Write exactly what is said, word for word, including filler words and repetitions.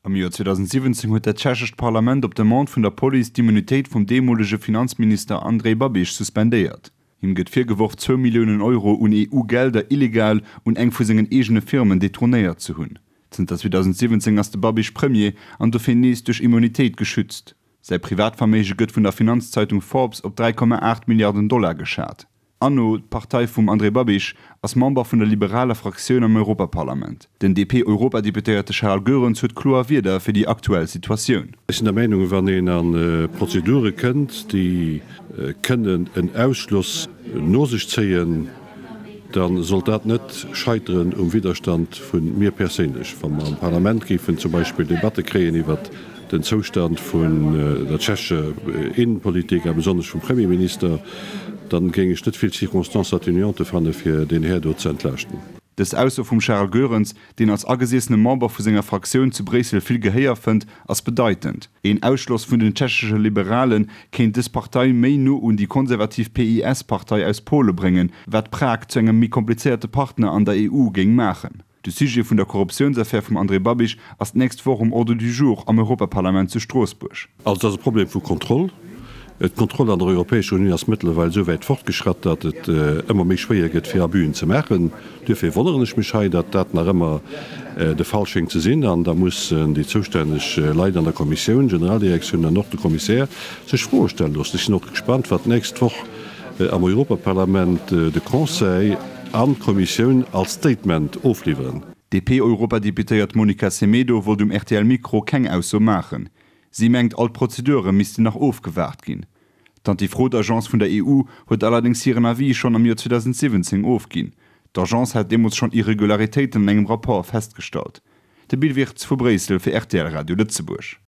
Am Joer zweedausendsiwwenzéng huet dat tschechescht Parlament op Demande vun der Police d'Immunitéit vum deemolege Finanzminister Andrej Babiš suspendéiert. Him gëtt virgeworf, zwou Milliounen Euro un E U-Gelder illegal un eng vu sengen eegene Firmen detournéiert ze hunn. Zënter zweedausendsiwwenzéng ass de Babiš Premier an dofir nees duerch Immunitéit geschützt. Säi Privatverméige gëtt vun der Finanzzeitung Forbes op dräi Komma aacht Milliarden Dollar geschat. ANO, d'Partei vum Andrej Babiš, ass Member vun der liberaler Fraktioun am Europaparlament. Den D P-Europadeputéierte Charles Goerens huet kloer Wierder fir déi aktuell Situatioun. Ech sinn der Meinung, wann een a Prozedure kënnt, déi kënnen en Ausschloss no sech zéien, da sollt dat net scheiteren um Widderstand vu mir perséinlech. Wa mer am Parlament géifen zum Beispill Debatte kréien iwwert den Zoustand vun der tschechescher Innenpolitik a besonnesch vum Premierminister, dann géing ech net vill Circonstances atténuantes fanne fir deen Här do ze entlaaschten. Dës Ausso vum Charles Goerens, deen als agesiessene Member vu senger Fraktioun zu Bréissel vill Gehéier fënnt, ass bedeitend. Een Ausschloss vun den tschechesche Liberale kéint dës Partei méi no un déi konservativ P I S-Partei aus Pole bréngen, wat Prag zu engem méi komplizéierte Partner an der E U géing maachen. De Sujet vun der Korruptiounsaffär vum Andrej Babiš ass d'nächst Woch um Ordre du jour am Europaparlament zu Stroossbuerg. Also et ass e Problem vu Kontroll. D'Kontroll an der Europäescher Unioun ass mëttlerweil esou wäit fortgeschratt, datt et ëmmer méi schwéier gëtt, fir Abüen ze maachen. Duerfir wonneren ech mech hei, datt dat nach ëmmer de Fall schéngt ze sinn. An da mussen déi zoustänneg Leit an der Kommissioun, Generaldirektioun an och de Kommissär sech Froe stelle loossen. Ech sinn och gespannt, wat d'nächst Woch am Europaparlament de Conseil an d'Kommissioun als Statement ofliwweren. D'D P-Europadeputéiert Monica Semedo wollt um R T L Mikro keng Ausso maachen. Si mengt, all d'Prozedure missten nach ofgewaart ginn. D'Antifraude-Agence vun der E U huet allerdéngs hiren Avis schonn am Joer zweedausendsiwwenzéng ofginn. D'Agence hat deemools schonn Irregularitéiten an engem Rapport festgestallt. De Bill Wirtz vu Bréissel fir R T L Radio Lëtzebuerg.